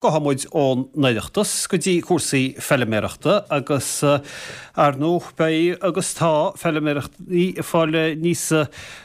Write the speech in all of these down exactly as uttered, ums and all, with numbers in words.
Gabhfaidh muid ón Oireachtas go dtí cúrsaí feilméarachta agus ar ndóigh beidh agus tá feilméaraí ag fáil níos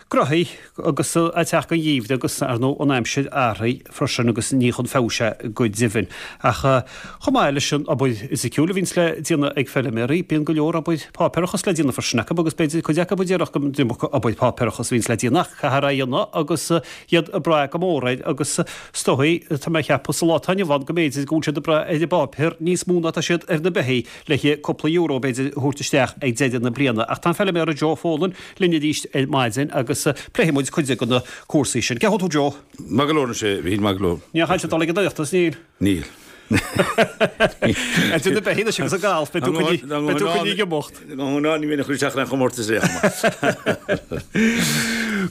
gnóthaí agus ag teacht an gheimhridh agus ar ndóigh an aimsir athraithe freisin agus ní chun feabhais é go deimhin. Ach chomh maith leis an obair fhisiciúil a bhíonns le déanamh ag feilméaraí, bíonn go leor obair páipéarachas le déanamh freisin acu agus b'fhéidir cuid acu a déarfadh go iomarca obair páipéarachas a bhíonns le déanamh ach caithfear é a dhéanamh agus iad ag brath go mór air agus is dóigh, tá mé ag ceapadh sa lá atá inniu ann go mb'fhéidir go bhfuil siad ag brath ar an bpáipéar níos mó ná atá siad ar na beithígh le cúpla euro b'fhéidir a thabhairt isteach ag deireadh na bliana. Ach tá an feilméara Joe Folan linn arís ar maidin agus pléifidh muid cuid de na cúrsaí sin. Cén chaoi a bhfuil tú Joe? Maith go leor anois, a Mhíchíl, maith go leor. Níl aon chaint ag dul ag an Oireachtas, níl? Níl. Idir na beithígh anois agus an galf, beidh tú coinnithe ag imeacht. Ná ní bheinn ag cur isteach ar aon chomórtas ar aon chuma.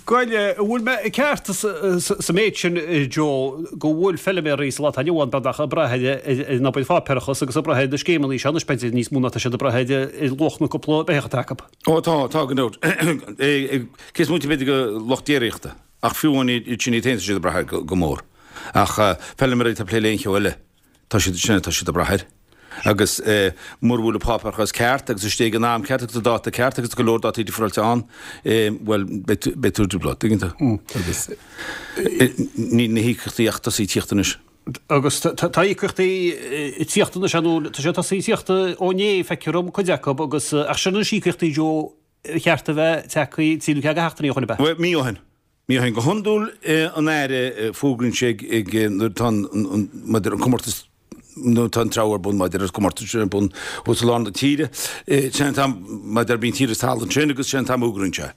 Bhuel, an bhfuil mé ceart sa méid sin, Joe, go bhfuil feilméaraí sa lá atá inniu ann beagnach ag brath ar an obair pháipéarachas agus ag brath ar na scéimeanna seo anois, b'fhéidir, níos mó ná tá siad ag brath ar luach na cúpla beithíoch atá acu? Ó tá, tá gan dabht. Cé is móite b'fhéidir de lucht déiríochta, ach fiú amháin iad sin iad féin tá siad ag brath air go mór. Ach feilméaraí atá ag plé le aon cheo eile, tá siad sin, tá siad ag brath air. Agus mura bhfuil an páipéarachas ceart agus istigh ag an am ceart agus an dáta ceart agus go leor dátaí difriáilte ann, bhuel, beidh tú i dtrioblóid, tuigeann tú? Agus níl na híocaíochtaí ach tosaithe ag tíocht anois. Agus tá íocaíochtaí ag tíocht anois, ar ndóigh, tá sé tosaithe ag tíocht ó inné, feictear dom, cuid acu, agus ach sin anois íocaíochtaí, Joe, ba cheart a bheith tagtha trí nó ceathair de sheachtainí ó shin, ab ea? Bhuel, mí ó shin. Mí ó shin. Go hiondúil an Aire fógraíonn sé ag nuair atá an maidir an comórtas nuair atá an treabhadh ar bun maidir an comórtas sin ar bun thuas i lár na tíre. Sin an t-am maidir bíonn tír is talamh ansin agus sin an t-am a fhógraíonn sé.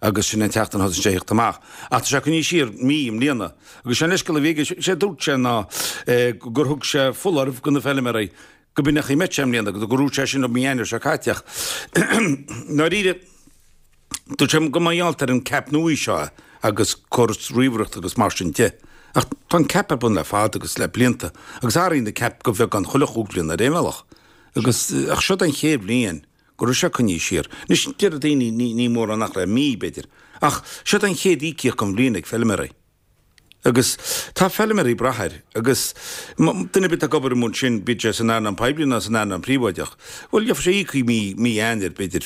Agus sin an tseachtain a thosaíonn sé a thíocht amach. Ach tá sé coinnithe siar mí i mbliana. Agus sé an leithscéal a bhí aige, sé a dúirt sé ná gur thug sé foláireamh do na feilméaraí go b'in an chaoi a mbeadh sé i mbliana, gur dhúirt sé sin i mí Eanáir seo caite ach ndáiríre, dúirt sé gur mar gheall ar an CAP nua seo é agus córas ríomhaireachta agus mar sin de. Ach tá an CAP ar bun le fada agus le blianta agus athraíonn an CAP de bheagán chuile chúig bhliana ar aon bhealach. Agus ach seo den chéad bhliain go raibh sé coinnithe siar. Anois deir daoine ní ní mórán nach le mí b'fhéidir. Ach seo den chéad íocaíocht den bhliain ag feilméaraí. Agus tá feilméaraí ag brath air agus duine ar bith atá ag obair amuigh ansin, bíodh sé san earnáil poiblí nó san earnáil príobháideach, bhuel, gheobhaidh sé íoctha mí, mí Eanáir, b'fhéidir,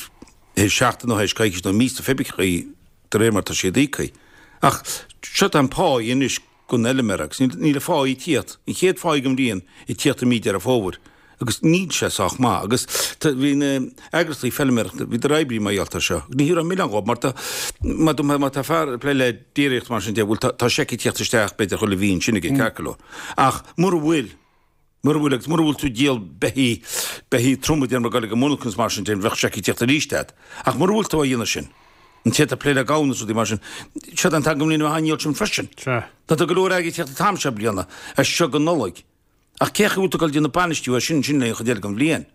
théis seachtain nó théis coicís nó míosa, pé chaoi, de réir mar atá siad íoctha. Ach seo tá an pá anois don fheilméara agus níl, níl an phá ag tíocht, an chéad phá den bhliain ag tíocht i mí Deireadh Fómhair. Agus níl sé sách maith. Agus tá, bhí na eagraíochtaí feilméarachta, bhíodar ag oibriú mar gheall air seo. Ní raibh milleán dhóibh mar tá, má tá, má tá fear ag plé le déiríocht mar sin de, bhuel tá, tá seic ag tíocht isteach b'fhéidir chuile mhí ansin aige ceart go leor. Ach mura bhfuil, mura bhfuil agus mura bhfuil tú ag díol beithígh, beithígh troma déarfaidh muid ag dul ag an monarcha agus mar sin de, bheadh seic ag tíocht arís agat. Ach mura bhfuil tú á dhéanamh sin, an té atá ag plé le gamhna is rudaí mar sin, seo an t-am den bhliain a bheith á ndíol sin freisin. Sea. Tá go leor airgid ag tíocht an t-am seo bliana, as seo go Nollaig. Ach cé chaoi a bhfuil tú ag dul ag déanamh bainistiú air sin, sin le an chuid eile den bhliain.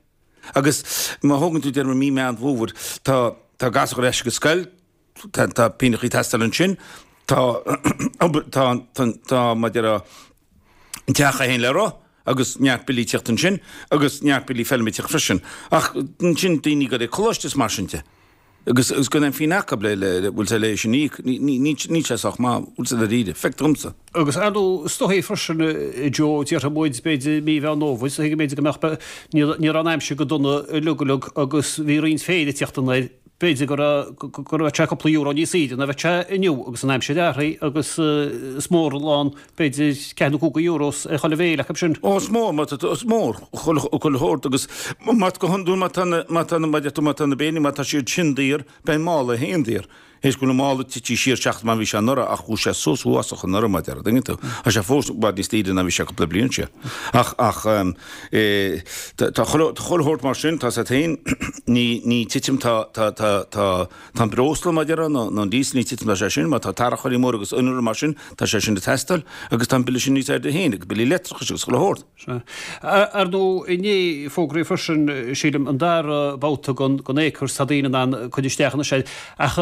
Agus má thógann tú déarfaidh mí Meán Fómhair, tá tá gasúir ar ais ag an scoil, tá tá pínneachaí ag teastáil ansin, tá obair tá tá tá mar a déarfá an teach é féin le rith agus neart billí ag tíocht ansin agus neart billí feilme ag tíocht freisin. Ach ansin daoine ag dul ag coláiste is mar sin de. Agus agus gan aon phingin acu le le bhfuil sé le sin íoc, ní ní ní níl sé sách maith, bhfuil sé dáiríre, feictear domsa. Agus ar ndóigh, is dóigh freisin, a Joe, déarfaidh muid, b'fhéidir mí Mheán Fhómhair, is dóigh go mb'fhéidir go mbeadh, ní ní raibh an aimsir go dona uilig uilig agus bhí roinnt féir ag tíocht anoir, b'fhéidir go raibh go raibh sé cúpla euro níos saoire ná bheadh sé inniu agus an aimsir athraithe agus is mór an lán b'fhéidir ceathair nó cúig euros ar chuile bhéile acu sin. Ó, is mór, má tá, is mór, chuile, chuile shórt agus má, go hiondúil má tá na, má tá na, má deir tú má tá na béilí, má tá siad sin daor, beidh an mála féin daor. Théis go bhfuil an mála tite siar seachas mar a bhí sé anuraidh ach chuaigh sé suas uafásach anuraidh mar a déarfá, an dtuigeann tú. Tá sé fós i bhfad níos daoire ná bhí sé cúpla bliain siar. Ach, ach, eh, tá, tá chuile, tá chuile shórt mar sin, tá sé féin, ní, ní titim, tá, tá, tá, tá, Tá an breosla, mar a déarfá, nó an díosal, ní titim tá sé sin, mar tá tarracóirí móra agus innealra mar sin, tá sé sin ag teastáil, agus tá an bille sin níos airde féin, agus billí leictreachais agus chuile shórt. Sea. Ar ndóigh, inné fógraíodh freisin, sílim, an dara babhta den Acres, tá daoine in ann cur isteach anois air, ach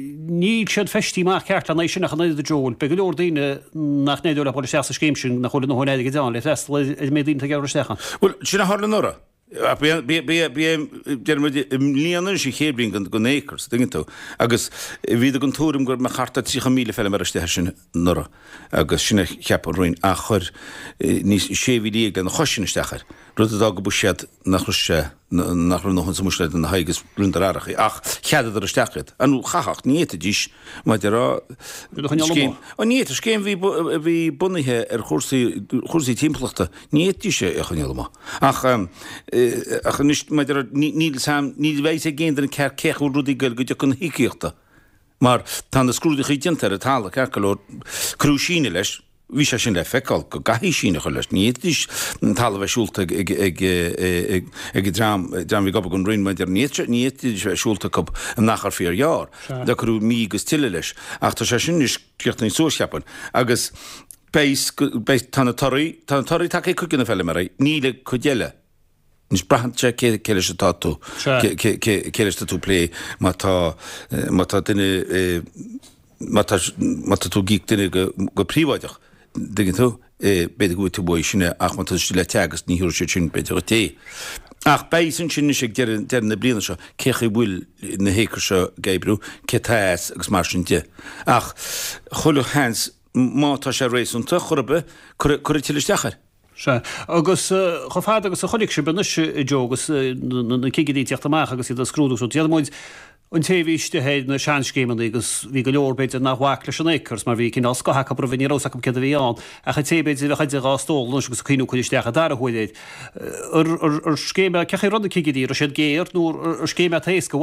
níl siad feistithe amach ceart lena aghaidh sin ach an oiread, a Joe. Beidh go leor daoine nach n-éireoidh leo dul isteach sa scéim sin, nach bhfuil a ndóthain airgid ann le freastal ar an méid daoine atá ag iarraidh isteach ann. Bhuel, sin a tharla anuraidh. Ach b'é, b'é, b'é, b'é, deir muid, i mbliana anois an chéad bhliain den, den Acres, tuigeann tú. Agus bhíodar den tuairim go mbeadh thart ar tríocha míle feilméara istigh air sin anuraidh agus sin a cheap an Roinn ach chuir níos, sé mhíle dhéag lena chois sin isteach air, rud a d'fhág an buiséad nach raibh sé, nach raibh a ndóthain sa mbuiséad lena haghaidh agus rinneadar athrachaí ach cheadaíodar isteach iad. Ar ndóigh chaithfeadh, ní fhéadfaidís, mar a déarfá, Iad a choinneáil scéim, amuigh. ní fhéadfadh, scéim a bhí, a bhí bunaithe ar chúrsaí, chúrsaí timpeallachta, ní fhéadfaidís é a choinneáil amuigh. Ach, ach anois, mar a déarfá, ní, níl 'fhios a'm, ní bheidh 'fhios ag aon duine ceart cé chaoi a bhfuil rudaí ag goil go dtiocfaidh na híocaíochta. Mar tá na scrúduithe déanta ar an talamh, ceart go leor, cuireadh síneadh leis, Bhí sé sin le feiceáil go gcaithfí síneadh a chur leis. Ní fhéadfaidís an talamh a bheith siúlta ag an dream a bhí ag obair don Roinn maidir ní fhéadfaidís a bheith siúlta acu in achar fíorghearr. Do cuireadh mí agus tuilleadh leis. Ach tá sé sin anois críochnaithe suas, cheapfainn. Agus beidh, beidh, tá na torthaí, tá na torthaí tagtha ag cuid de na feilméaraí, níl ag cuid eile. Anois braitheann sé cé cé leis atá tú, cé cé cé cé leis atá tú ag plé, má tá má tá duine má tá má tá tú ag íoc duine go go príobháideach, dtuigeann tú, b'fhéidir go bhfaighidh tú uaidh sin é ach má tá tú istigh le Teagasc ní thabharfaidh siad sin b'fhéidir dhuit é. Ach beidh 'fhios ansin anois ag deireadh deireadh na bliana seo cé chaoi bhfuil na hacres seo ag oibriú, cé tá as agus mar sin de. Ach chuile sheans má tá sé réasúnta, chor ar bith, cuirfidh cuirfidh tuilleadh isteach air. Sea. Agus chomh fada agus a chonaic sibh anois, a Joe, agus na cigirí ag teacht amach agus iad ag scrúdú agus déarfaidh muid an té a bhí istigh ar na seanscéimeanna agus bhí go leor b'fhéidir nach bhfac leis an Acres mar bhí cineál scoth acu roimhe, ní raibh 'fhios acu céard a bhí ann, ach an té b'fhéidir a bheadh idir dhá stól anois agus ag cuimhniú cur isteach an dara huair air. Ar scéim é, cén chaoi a raibh na cigirí, raibh siad géar nó ar scéim é atá éasca,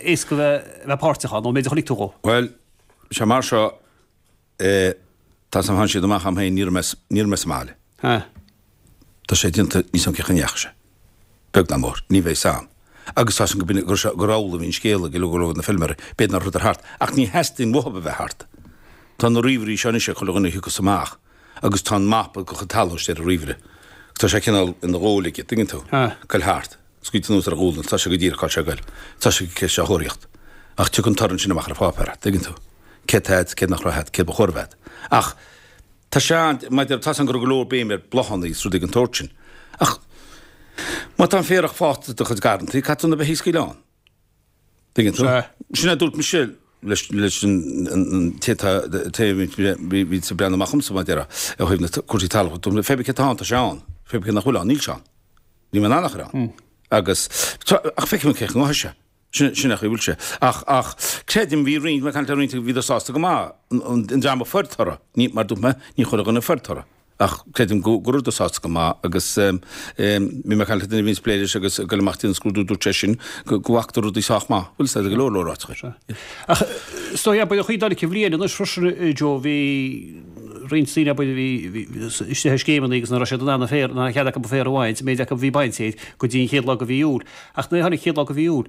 éasca a bheith páirteach ann, ón méid a chonaic tú dhó? Bhuel, sé mar seo, eh, tá 's a'm tháinig siad amach a'm féin, ní raibh mé, ní raibh mé sa mbaile. Tá sé déanta, níl 's a'm cén chaoi a ndeachaigh sé. Beag ná mór, ní bheidh 's a'm. Agus tá 's a'm go b'in, gur, gur amhlaidh a bhí an scéal ag go leor de na feilméaraí, b'fhéidir nach rabhadar thart, ach ní theastaíonn uathub a bheith thart. Tá na ríomhairí seo anois ag chuile dhuine a thiocfas amach agus tá an mapa de chuid talún istigh ar an ríomhaire. Tá sé cineál ina ghuaille aige, tuigeann tú? Goil thart. Scaoilte anuas ar a ghualainn, tá sé go díreach cá bhfuil sé ag goil. Tá sé cé sé a thóraíocht. Ach tiocfaidh an toradh ansin amach ar an pháipéar, tuigeann tú? Céard tá a'd, céard nach raibh a'd, céard ba chóir a bheith a'd. Ach tá sé an, maidir, tá 's a'm go raibh go leor béim ar bláthanna is rudaí den tsórt sin. Ach má tá an féarach fásta i do chuid garrantaí, caithfidh tú na beithígh a scaoileadh ann. Tuigeann tú? Sea. Sin a dúirt mise leis, leis an, an, an té tá, té a bhí, bhí, bhí ag breathnú amach dhomsa, mar a déarfá, ó thaobh na cúrsaí talún. Dúirt mé, pé bith cé tá ann, tá sé ann. Pé bith cé nach bhfuil ann, níl sé ann. Níl mé in ann a chur ann. Agus, ach feicfidh mé cén chaoi a ngabhfaidh sé. Sin, sin é an chaoi a bhfuil sé. Ach, ach, creidim, bhí roinnt, mé ag caint le roinnt, bhíodar sásta go maith, an, an dream a fuair toradh, ní, mar dúirt mé, ní chuile dhuine a fuair toradh. Ach creidim go, go rabhadar sásta go maith agus, em, bhí mé ag caint le duine a bhíonns ag plé leis agus ag goil amach déanamh scrúdú, dúirt sé sin go, go bhfacadar rudaí sách maith. Bhfuil 'fhios a'd, go leor leor áiteacha. Sea. Ach, is dóigh, abair, an chuid dá an bhliain anois freisin, a Joe, bhí roinnt daoine, abair, a bhí, bhí istigh ar scéimeanna agus nach raibh siad in ann an féar, nach raibh cead acu an féar a bhaint, an méid acu a bhí bainte air, go dtí an chéad lá de mhí Iúil. Ach nuair a tháinig an chéad lá de mhí Iúil,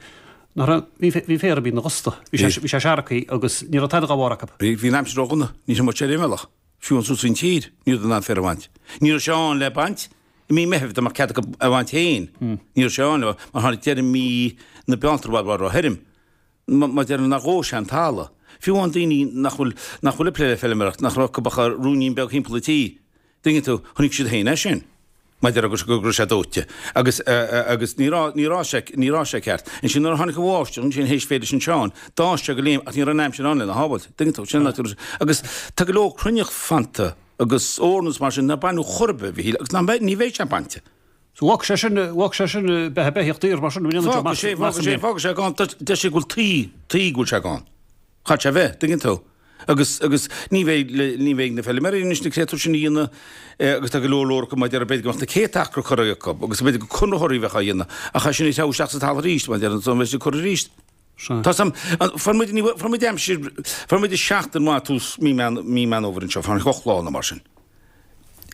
nach raibh, bhí, bhí an féar imithe ina dhusta. Bhí sé, bhí sé seargtha agus ní raibh tada dá bharr acu. Bhí, bhí an aimsir ródhona, ní raibh muid ar aon bhealach, fiú ansuas faoin tír, ní rabhadar in ann féar a bhaint. Ní raibh sé ann le baint i mí Meithimh, dá mbeadh cead acu a bhaint féin. Ní raibh sé ann le, mar tháinig deireadh mí na Bealtaine i bhfad, i bhfad róthirim. Mar a déarfá nár dhóigh sé an talamh. Fiú amháin daoine nach bhfuil, nach bhfuil ag plé le feilméaracht, nach raibh acu ach ruainnín beag thimpeall an tí, dtuigeann tú, chonaic siad féin é sin. Mar a déarfá go raibh sé dóite. Agus, agus ní raibh, ní raibh sé, ní raibh sé ceart. Ansin nuair a tháinig an bháisteach ansin théis Féile San Seáin, d'fhás sé go léim ach ní raibh an aimsir ann lena shábháilt. Dtuigeann tú, sin an áit a raibh sé. Agus tá go leor cruinneach fanta agus eorna is mar sin nár baineadh chor ar bith, a Mhichíl, agus ná beidh, ní bheidh sé bainte. So bhfágfaidh sé sin, bhfágfaidh sé sin beatha beithíoch daor mar sin, an ndéanann Fágfaidh sé, fágfaidh sé, fágfaidh sé gann, deir sé go bhfuil tuí, tuí go bhfuil sé gann. Chaithfidh sé a bheith, dtuigeann tú. Agus, agus ní bheidh, ní bheidh na feilméaraí anois na créatúir sin a dhéanamh agus tá go leor leor acu mar a déarfá b'fhéidir go mbeadh na céadta acra curtha acu agus b'fhéidir go conraitheoirí a bheadh á dhéanamh ach é sin ag treabhadh isteach sa talamh arís mar a déarfá an mbeidh siad curtha arís. Tá 's a'm, fuair muid, ní, fuair muid aimsir, fuair muid seachtain mhaith tús mí Meán, mí Meán Fhómhair anseo, fuair muid ocht lá nó mar sin.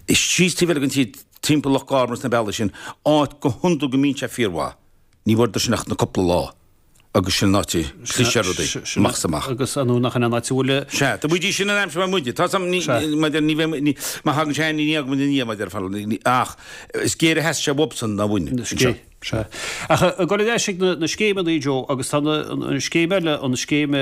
Síos taobh eile den tír, timpeall Loch Garman is na bealaí sin, áit go hiondúil go mbíonn sé fíormhaith. Ní bhfuaireadar sin ach na cúpla lá agus sin an áit a chlis ar rudaí, amach is amach. Agus ar ndóigh nach in an áit a bhfuil. Sea, do bhídís sin an aimsir mar muide. Tá 's a'm, ní, maidir, ní bheidh, ní, má thagann sé ní fhágfaidh muid ina dhiaidh, maidir, ach is géire a sheas sé uathubsan ná uainne, anseo. Sea. Ach ag dul ar ais ag na scéimeanna, Joe, agus tá an scéim eile, an scéim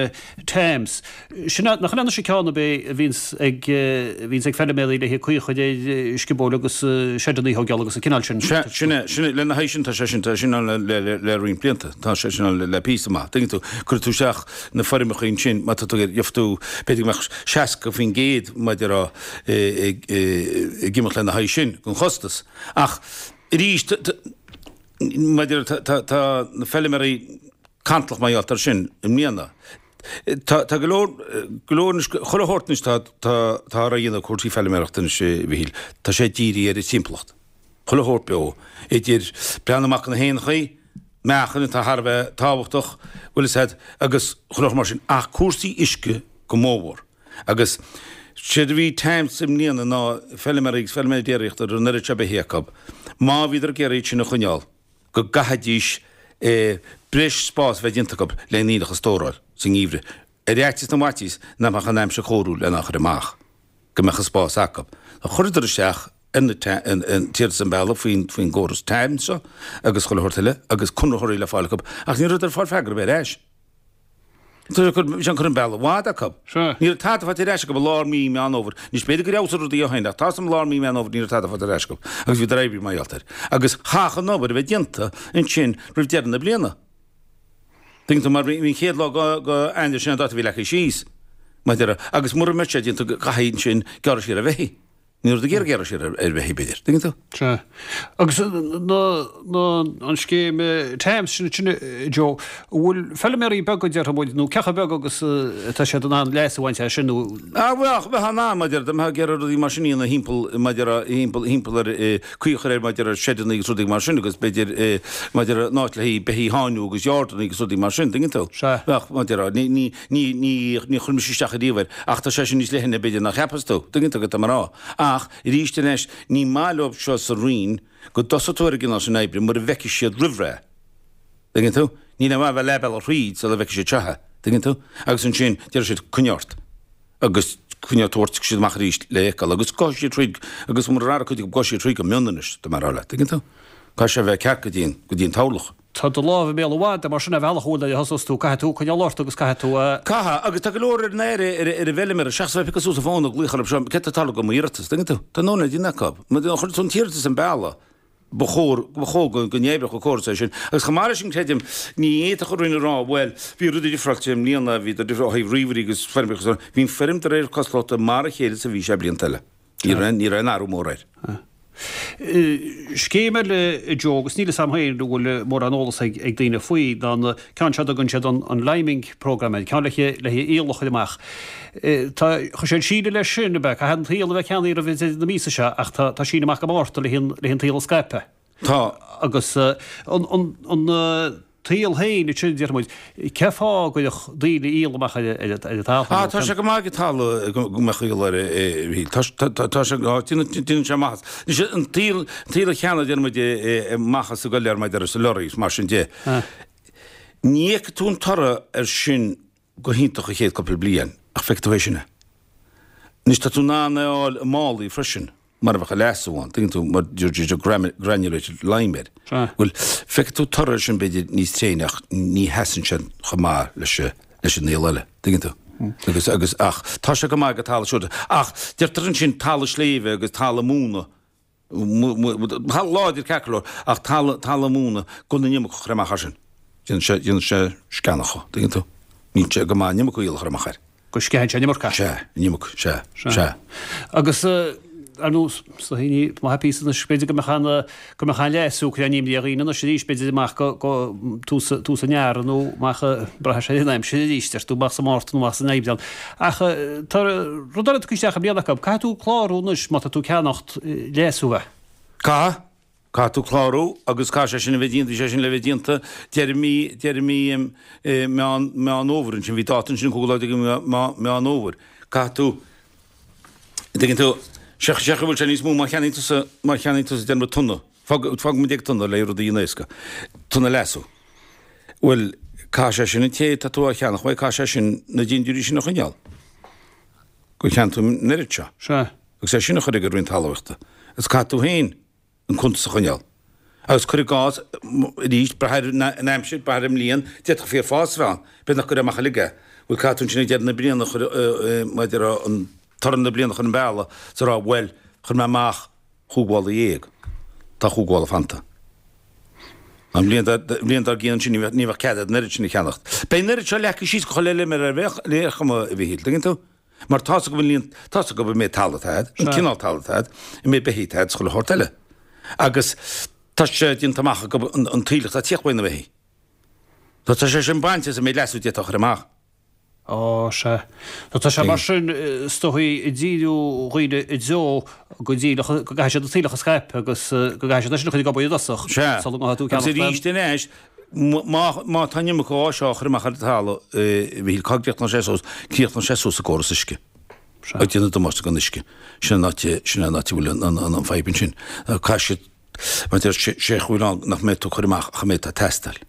TAMS, sin nach in anois an ceann ab é a bhíonns ag, a bhíonns ag feiliméaraí le haghaidh caoi a chur ar sciobóil agus seideanna a thógáil agus an cineál sin. Sea, sin é, sin é, lena haghaidh sin tá sé sin, tá sé sin ann le, le, le roinnt blianta, tá sé sin ann le, le píosa maith. Tuigeann tú, cuirfidh tú isteach na foirmeacha ansin, má tá tú ag, gheobhaidh tú, b'fhéidir go mbeadh seasca faoin gcéad maidir a, ag, ag imeacht lena haghaidh sin, den chostas. Ach arís, maidir tá tá na feiliméaraí cantalach mar gheall air sin i mbliana. Tá tá go leor go leor anois chuile shórt anois tá tá tá á dhéanamh cúrsaí feiliméarachta anois a Mhichíl. Tá sé dírithe ar an timpeallacht. Chuile shórt beo. Idir breathnú amach do na héanachaí, meáchain atá thar a bheith tábhachtach, bhfuil fhios a'd, agus chuile shórt mar sin. Ach cúrsaí uisce go mórmhór. Agus séard a bhí TAMS i mbliana ná feiliméaraí agus feiliméaraí déiríochta a raibh an oiread seo beithígh acu, má bhíodar ag iarraidh iad sin a choinneáil, go gcaithfidís breis spáis a bheith déanta acu le an aoileach a stóráil sa ngeimhreadh, ar fhaitíos na bhfaitíos nach mbeadh an aimsir chóiriúil lena chur amach, go mbeadh an spás acu. Chuireadar isteach ar na t-iarratas an bealach faoin faoin gcóras TAMS seo agus chuile shórt eile agus conraitheoirí le fáil acu ach ní rabhadar ag fáil freagra ar bith ar ais. Bhí sé an cur an bealach i bhfad acu. Ní raibh tada faighte ar ais acu i lár mí Meán Fhómhair. Anois b'fhéidir gur fheabhsaigh rudaí ó shin ach tá's a'm i lár mí Meán Fhómhair ní raibh tada faighte ar ais acu agus bhíodar oibrithe mar gheall air. Agus chaithfeadh an obair a bheith déanta ansin roimh deireadh na bliana. Tuigeann tú mar bhí an chéad lá go Eanáir sin an dáta a bhí leagtha síos. Maidir agus mura mbeadh sé déanta caithfidh ansin gearradh siar ar bheithígh. Ní raibh ag iarraidh gearradh siar ar bheithígh b'fhéidir. Tuigeann tú? Sea. Agus na, na, an scéim TAMS sin, sin Joe, an bhfuil feiliméaraí beaga déarfaidh muid, nó cé chomh beag agus atá siad in ann leas a bhaint as sin nó. Ah, bheadh, bheadh in ann, maidir, dá mbeifeá ag iarraidh rudaí mar sin a dhéanamh thimpeall, maidir, thimpeall, thimpeall ar, caoi a chur air maidir ar seideanna agus rudaí mar sin agus b'fhéidir, maidir an áit le haghaidh beithígh a sháinniú agus yardanna agus rudaí mar sin, tuigeann tú? Sea. Bheadh, maidir, ní, ní, ní, ní, ní chuir mise isteach ariamh air ach tá sé sin níos leithne b'fhéidir ná cheapas tú, tuigeann tú cad tá mé a rá. Ach, arís anois, ní maith leo seo sa Roinn go dtosóidh tú ar an gcineál sin oibre mura bhfeicfidh siad roimh ré. Tuigeann tú? Níl aon mhaith a bheith leath bealaigh thríd sula bhfeicfidh siad seo é. Tuigeann tú? Agus ansin, déarfaidh siad, coinnigh ort. Agus coinneoidh tabhairt siad amach arís le feiceáil. Agus gabhfaidh siad thríd, agus murar athraigh cuid acu, gabhfaidh siad thríd go mion anois, tá mé a rá leat. Tuigeann tú? Caithfidh sé a bheith ceart go dtí an, go dtí an toghlach. Tá do lámh i mbéal an mhada, mar sin ar bhealach amháin nuair a thosós tú, caithfidh tú coinneáil ort agus caithfidh tú a. Caithfidh, agus tá go leor ar an aire, ar an bhfeiliméara, seachas a bheith ag piocadh suas an fón ag glaoch orthu seo, céard atá ag tarlú do m'iarratas, tuigeann tú? Tá an oiread déanta acu. Má chuireann tú an t-iarratas an bealach, ba chóir, ba chóir go n-oibreodh an córas é sin. Agus chomh maith leis sin, creidim, ní fhéadfadh an Roinn a rá, bhuel, bhí rudaí difreáilte i mbliana, bhí difreáil ó thaobh ríomhairí agus feirmeacha agus, bhí an foirm de réir cosúlachta mar a chéile is a bhí sé blianta eile. Ní raibh, ní raibh aon athrú mór air. Scéim eile, a Joe, agus níl fhios a'm féin an bhfuil mórán eolas ag daoine faoi, ná an ceann seo a dtugann siad an liming programme air, ceann le haghaidh aoileach a chur amach. Tá, chuir siad síneadh leis sin, ab ea? Caithfidh an t-aoileach a bheith ceannaithe roimh deireadh na míosa seo ach tá síneadh amach go Márta le haghaidh an t-aoileach a scaipeadh. Tá. Agus an t-aoileach féin ansin, déarfaidh muid, cén fáth a gcuirfeadh daoine aoileach amach ar an talamh? Ah, tá sé go maith ag talamh go mbeadh aoileach air, a Mhíchíl. Tá, tá sé, déanann sé maitheas. Anois, an t-aoileach, an t-aoileach cheana, déarfaidh muid, maitheas ag goil air maidir leis na lorraí, mar sin de. Ní fheicfidh tú an toradh air sin go hiontach an chéad cúpla bliain, ach feicfidh tú é sin é. Anois, tá tú in ann é a fháil i málaí freisin. mar a bheadh leasú ann, tuigeann tú, mar granulated lime air. Bhuel, feicfidh tú toradh air sin b'fhéidir níos tréine ach ní sheasann sé chomh maith leis leis an aoileach eile, tuigeann tú. Agus, agus, ach tá sé go maith go talamh siúd. Ach deirtear ansin talamh sléibhe agus talamh móna, talamh láidir ceart go leor, ach talamh, talamh móna gan an iomarca a chur amach air sin. Déanann sé, déanann sé sceanach dho, tuigeann tú. Níl sé go maith an iomarca aoileach a chur amach air. Go sceitheann sé an iomarca. Sea, an iomarca, sea, sea. Agus, ar nós, sna haoine, má theip thíos anois, b'fhéidir go mbeadh an, go mbeadh an leasú ag cur an imní ar dhaoine anois arís, b'fhéidir amach go, go tús, tús an earraigh nó amach, braithfidh sé ar an aimsir arís, deir tú, amach sa Márta nó amach san Aibreán. Ach tá rud eile tugtha isteach i mbliana acu, caithfidh tú clárú anois má tá tú ag ceannacht leasú a. Caithfidh. Caithfidh tú clárú agus caithfidh sé sin a bheith déanta, bhí sé sin le bheith déanta deireadh mí, deireadh mí Meán, Meán Fhómhair ansin, bhí dáta ansin cúigiú lá déag de Mheán Fhómhair. Caithfidh tú, dtuigeann tú, sé, sé go bhfuil sé níos mó má cheannaíonn tusa, má cheannaíonn tusa déarfaidh muid tonna, fág, fágfaidh muid ag tonna le rudaí a éascú, tonna leasú. Bhuel, caithfidh sé sin an té atá tú á cheannach uaidh, caithfidh sé sin na dintiúirí sin a choinneáil. Gur cheannaigh tú an oiread seo. Sea. Agus é sin a chur ag an Roinn Talmhaíochta. Agus caithfidh tú féin an cuntas a choinneáil. Agus cuir i gcás, arís, brath ar an aimsir, brath ar an mbliain, d'fhéadfadh fíorfhás a bheith ann. B'fhéidir nach gcuirfeá amach uilig é. Bhuel, caithfidh tú ansin ag deireadh na bliana a chur, maidir an toradh na bliana a chur an bealach is a rá, bhuel, chuir mé amach chúig mhála dhéag. Tá chúig mhála fanta. An bhliain bhliain dár gcionn ansin ní bheadh ní bheadh cead agat an oiread sin a cheannacht. Beidh an oiread seo leagtha síos go chuile fheilméara ar aon chuma, a Mhíchíl, tuigeann tú? Mar tá's acu an líon, tá's acu an méid talaimh atá agat, an cineál talaimh atá agat, an méid beithígh atá agat is chuile shórt eile. Agus tá sé déanta amach acu an t-aoileach atá ag tíocht uaidh na beithígh. Tá sé sin bainte as an méid leasú d'fhéadfá a chur amach. Á, sea. Nó tá sé mar sin, is dóichí, ag díriú dhaoine i dtreo go díreach, go gcaithfidh siad an t-aoileach a scaipeadh agus go gcaithfidh siad é sin a chur ag obair i dtosach Sea. sula ngabhfaidh tú ag Agus ceannacht arís aon. anois, má, má tá an iomarca dhó seo á chur amach ar an talamh, a Mhíchíl, cá gcríochnóidh sé suas? Críochnóidh sé suas i gcóras uisce. Sea. Ag déanamh damáiste don uisce. Sin an áit, sin an áit a bhfuil an, an, an fadhb ansin. Caithfidh siad, mar deir sé, sé chaoi ann nach mbeidh tú ag cur amach ach an méid atá ag teastáil.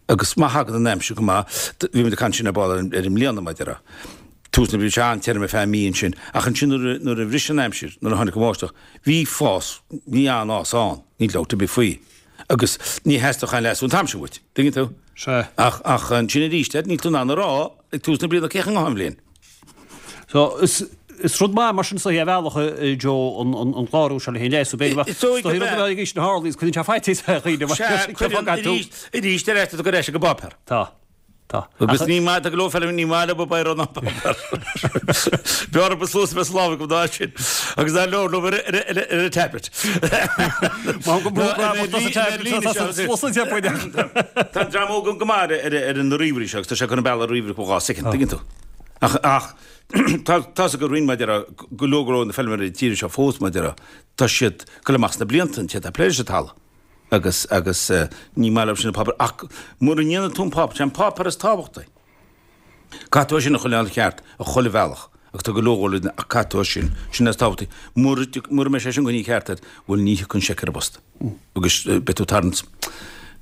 Agus má thagann an aimsir go maith, bhí muid ag caint sin ar ball ar an mbliana, mar a déarfá. Tús na bliana, bhí sé an-tirim ar feadh mí ansin, ach ansin nuair a, nuair a bhris an aimsir, nuair a tháinig an bháisteach, bhí fás, bhí an-fhás ann, níl dabht ar bith faoi. Agus ní theastódh aon leasú an t-am sin uait, tuigeann tú? Sea. Ach, ach ansin arís, níl tú in ann a rá ag tús na bliana cén chaoi a ngabhfaidh an bhliain. So, is, is rud maith mar sin is dóichí ar bhealach, a Joe, an, an, an clárú seo le haghaidh an leasú. B'fhéidir go Is dóigh is dóichí go rud a mbeadh. bheadh ag aois na harlaí is cuireann sé faitíos ar dhaoine mar Sea, cé cuireann fágann tú. arís, arís ar ais tá tú ar ais ag an bpáipéar. Tá. Tá. Agus Ach, ní maith, tá go leor feilméaraí, ní maith leo bipéar ná páipéar. B'fhearr an sluasaid a bheith sa lámh acu ná sin. Agus ná leor leo ar, ar, ar, ar an tablet. Má go Ná, bhfuil ar tá sa ar tablet, líne tá seo, sa sluasaid ar buine. Tá an dream óg go maith ar, ar, ar na ríomhairí seo agus tá sé chun an bealach ríomhaire go dhá soicind, tuigeann tú. Ach, ach, tá, tá's ag roinn maidir le go leor go leor na feilméaraí tíre seo fós maidir le, tá siad ag dul amach sna blianta an té atá ag plé leis an talamh. Agus, agus eh, ní maith leo sin an páipéar ach mura ndéanann tú an páipéar, sé an páipéar is tábhachtaí. Caithfidh tú é sin a choinneáil ceart ar chuile bhealach agus tá go leor go leor ach caithfidh tú é sin, sin is tábhachtaí. Mura mura mbeidh sé sin coinnithe ceart agat, bhuel ní thiocfaidh an seic ar an bpost. Agus eh, beidh tú tarraingt,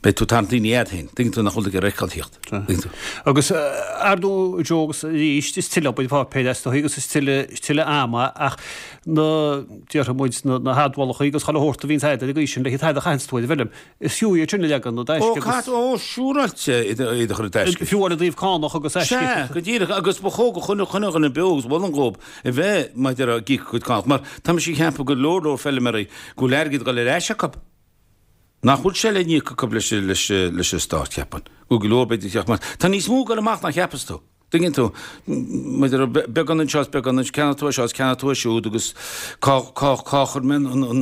beidh tú tarraingt daoine iad féin. Tuigeann tú nach bhfuil tú ag iarraidh a fheiceáil thíocht. Tuigeann tú. Agus ar ndóigh Joe agus arís is tuilleadh obair pháipéir is dóichí agus is tuilleadh is tuilleadh ama ach na déarfaidh muid na na hadmhálacha agus chuile shórt a bhíonns agat ar an gcaoi sin le haghaidh a chaitheanns tú ar an bhfeilm. Is fiú iad sin a leagan i Ó dtaisce agus cat ó siúráilte iad a chur i dtaisce. fiú i dtaobh cánach agus aisce. Sea, go díreach agus ba chóir go chuile chuile dhuine beo agus mholfainn dhóibh a bheith maidir ag íoc a gcuid cánach mar tá mise ag ceapadh go leor leor feilméaraí go bhfuil airgead ag dul ar ais acu. Nach bhfuil sé le n-íoc acu leis leis leis an stát ceapaim. Go go leor b'fhéidir teacht mar tá níos mó ag dul amach ná cheapas tú. Tuigeann tú maidir le beagán anseo is beagán anseo ceannaigh tú é seo is ceannaigh tú é siúd agus cá cá cá chuir mé an an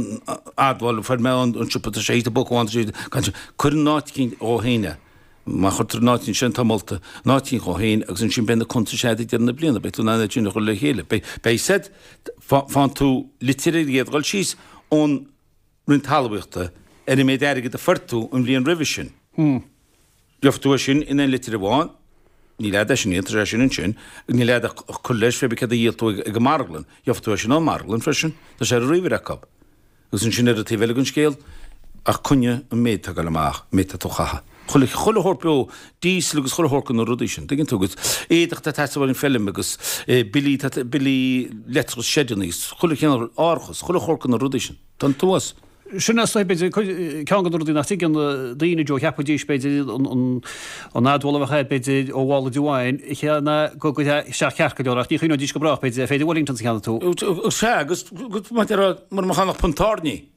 admháil fuair mé an an siopa tá sé i bpóca amháin tá sé gan sé cuir an áit cinn dhó féin é. Má chuirtear an áit sin tá molta an áit cinn dhó féin agus ansin beidh na cuntais agat ag deireadh na bliana beidh tú in ann é sin a chur le chéile. Beidh beidh said faigheann tú litir ar an gcéad dhul síos ón Roinn Talmhaíochta ar an méid airgid a fuair tú an bhliain roimhe sin. Gheobhaidh tú é sin in aon litir amháin, níl agat é sin tá sé sin ansin, níl agat ach cur leis pé céard a dhíol tú ag an marglann, gheobhaidh tú é sin ón marglann freisin, tá sé ar an ríomhaire acu. Agus ansin ar an taobh eile den scéal, ach coinnigh an méid atá ag dul amach, an méid atá tú a chaitheamh. Chuile chuile shórt beo, diesel agus chuile shórt de na rudaí sin, tuigeann tú, agus éadach atá ag teastáil ar an feilm agus billí billí leictreachais seideanna agus chuile chineál árachas, chuile shórt de na rudaí sin. Tá an t-uas. Sin é b'fhéidir ceann de na rudaí nach dtuigeann daoine Joe cheapfaidís b'fhéidir an an admháil a bheadh agat b'fhéidir ó mhála de wine chéanna go go isteach ceart go leor ach ní chuimhneoidís go brách b'fhéidir féidir Wellingtons a cheannach tú. Sea agus maidir le mura mbeadh ann ach punt tairní.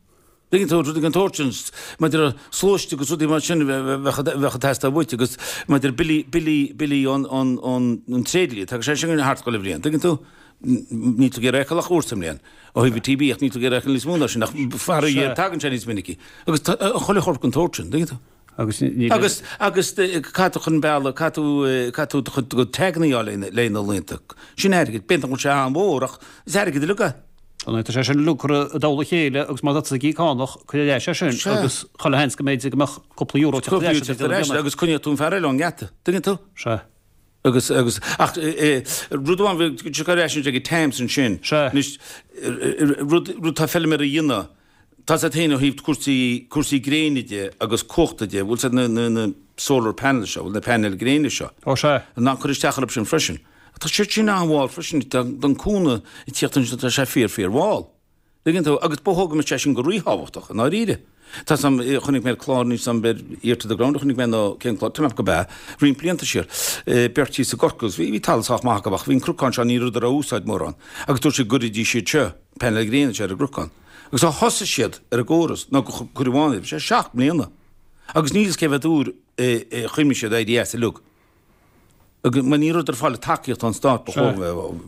Tuigeann tú rudaí den tsórt sin maidir le sluaiste agus rudaí mar sin bheadh ag teastáil uait agus maidir le billí billí billí ón ón ón an tréidlia tagann sé sin thart chuile bhliain. Tuigeann tú? Níl tú ag iarraidh é a fheiceáil ach uair sa mbliain. Ó thaobh an TB ach níl tú ag iarraidh é a fheiceáil níos mó ná sin ach faraor tagann sé níos minicí. Agus tá chuile shórt den tsórt sin, tuigeann tú? Agus níl Agus agus caithfidh tú chun bealaigh caithfidh tú caithfidh tú do chuid do chuid taganna a fháil le na laethanta. Sin airgead, b'fhéidir nach bhfuil sé an-mhór ach is airgead uilig é. Tá sé sin uilig curtha i dtoll a chéile agus má tá tú ag íoc cánach cuir ar ais é sin Sea. agus chuile sheans go mb'fhéidir go mbeadh cúpla euro teacht ar Cúpla ais euro teacht ar ais agus coinneoidh tú an fear eile ón ngeata. Tuigeann tú? Sea. Agus agus ach rud amháin bhí sé ar ais ag an Thames ansin. Sea. Anois rud rud tá feilméara a dhéanamh tá sé féin ó thaobh cúrsaí cúrsaí gréine de agus cumhachta de bhfuil siad na na na solar panels seo bhfuil na painéil gréine seo. Ó sea. Ná cur isteach orthu sin freisin. Tá siad sin an-mhall freisin don cúnamh ag tíocht ansin tá sé fíor fíor mhall. Tuigeann tú agus ba thóg sé sin go ríthábhachtach i ndáiríre. Tá sam chonaic mé clár níos am ber Ear to the Ground chonaic mé nó cén clár tá go be roinnt blianta siar beirt thíos i gCorcaigh bhí bhí talamh sách maith acu ach bhí an cnocán seo ní rabhadar á úsáid mórán agus dúirt siad go gcuirfidís siad seo painéil gréine ar an gcnocán. Agus ó thosaigh siad ar an gcóras nó go cuireadh amháin é, bhí sé seacht mbliana. Agus níl fhios cé mhéad uair a chuimhnigh siad éirí as uilig. Agus mar ní rabhadar ag fáil tacaíocht ón stát ba chóir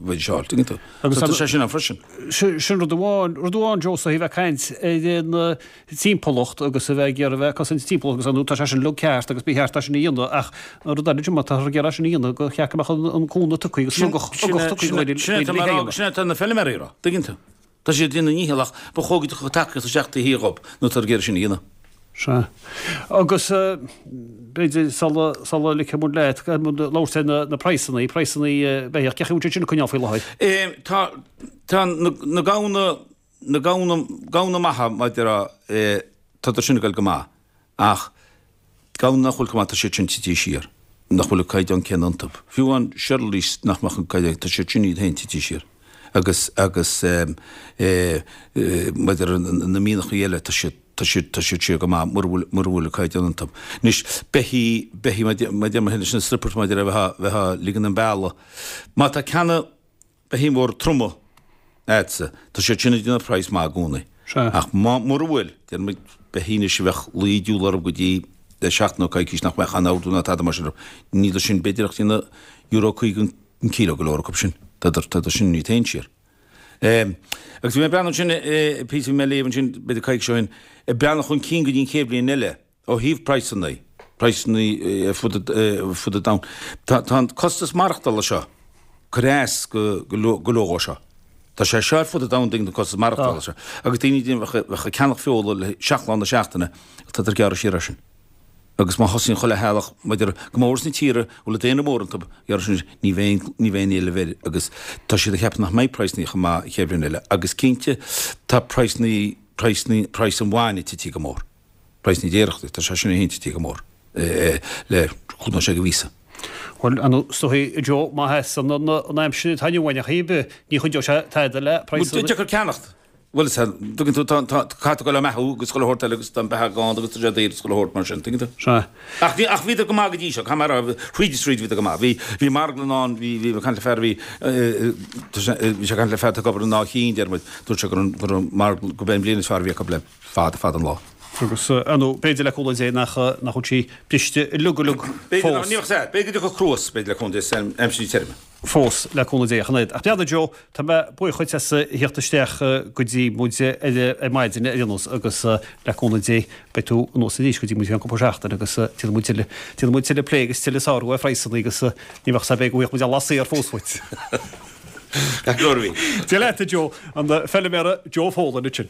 bheith seo, tuigeann tú. Agus tá sé sin ann freisin. Sin rud amháin, rud amháin Joe a bheith ag caint ar an timpeallacht agus a bheith ag iarraidh a bheith ag cosaint timpeallacht agus anú tá sé sin uilig ceart agus ba cheart é sin a dhéanamh ach an rud eile má tá ag iarraidh sin a dhéanamh go cheart go mbeadh an cúnamh tugtha agus ugach ugach tugtha go Sin sin atá na feilméaraí a rá, tuigeann tú. Tá siad ag déanamh a ndícheall ach ba chóir go dtiocfadh tacaíocht isteach taobh thiar dhób nó tá ag iarraidh sin a dhéanamh. Sea. Agus b'fhéidir sula sula ligfidh muid leat, caithfidh muid labhairt ar na na praghsanna, praghsanna beithíoch, cén chaoi a bhfuil siad sin ag coinneáil faoi láthair? Tá tá na na gamhna na gamhna gamhna maithe maidir a tá sin ag goil go maith ach gamhna nach bhfuil go maith tá siad sin tite siar, nach bhfuil an caighdeán céanna iontu. Fiú an Charolais nach mbeadh an caighdeán, tá siad sin iad féin tite siar. Agus agus maidir na mianachaí eile tá siad tá siad tá siad siar go maith mura bhfuil mura bhfuil an caighdeán iontu. Anois beithí beithí mar deir mé leis na strippers maidir le bheith bheith ag ligean an bealaigh. Má tá ceanna beithí mór troma agatsa tá siad sin ag déanamh praghas maith i gcónaí. Ach má mura bhfuil déarfaidh muid beithí anois a bheadh luí diúl orthu go dtí le seachtain nó coicís nach mbeadh aon ordú ná tada mar sin orthu. Níl sin b'fhéidir ach déanamh euro caoga an kilo go leor acu sin. Tá sin níos féin siar. Agus bhí mé ag breathnú ansin, píosa bhí mé ag léamh ansin b'fhéidir coicís ó shin, ag breathnú chun cinn go dtí an chéad bhliain eile ó thaobh praghsanna, praghsanna ar fud fud an domhain. Tá tá an costas maireachtála seo ag cur as go go leor dhó seo. Tá sé seo ar fud an domhain tuigeann tú an costas maireachtála seo. Agus daoine a bheadh ag ceannach feola le seacht lá na seachtaine, tá ag gearradh siar air sin. Agus má thosaíonn chuile theaghlach, maidir go mór sna tíortha a bhfuil an daonra mór iontu, gearradh sin, ní bheidh, ní bheidh aon éileamh air agus tá siad ag ceapadh nach mbeidh praghsanna chomh maith an chéad bhliain eile. Agus cinnte tá praghsanna, praghsanna, praghas an bhainne tití go mór. Praghas na déireachta, tá sé sin féin tití go mór le cúig nó sé de mhíosa. Bhuel, an is dóigh, Joe, má sheasann an an aimsir atá inniu ann ar chaoi ar bith, ní chuideoidh sé tada le praghsanna. Bhuel, deacair ceannacht. Bhuel, is ea, tuigeann tú, tá, tá, caithfidh tú dul á mbeathú agus chuile shórt eile agus tá an beatha gann agus tá sé daor agus chuile shórt mar sin, tuigeann tú? Sea. Ach bhí, ach bhíodar go maith go dtí seo, caithfidh mé a rá, thríd is thríd bhíodar go maith. Bhí, bhí marglann ann, bhí, bhí mé ag caint le fear a bhí, tá sé, bhí sé ag caint le fear atá ag obair in Áth Chinn, deir muid, dúirt sé go raibh, go raibh marglann, go b'é an bhliain is fearr a bhí acu le fada, fada an lá. Agus, ar ndóigh, b'fhéidir le cúnamh Dé nach, nach bhfuil sí briste uilig uilig B'fhéidir nach, ní bheadh, sea, b'fhéidir go dtiocfadh cruas, b'fhéidir le cúnamh Dé, san aimsir tirime. fós le cúnamh Dé a Shinéad. Ach breathnaigh Joe, tá mé buíoch dhuit as a theacht isteach go dtí muid ar maidin ar aon nós agus le cúnamh Dé beidh tú anuas arís go dtí muid i gceann cúpla seachtain agus déanfaidh muid tuilleadh, déanfaidh muid tuilleadh plé agus tuilleadh sárú ar phraghsanna agus ní bheadh 's b'fhéidir go bhfaighidh muid an lá saor fós uait. Gach glór a bhí. Dia leat a Joe, an feilméara Joe Folan ansin.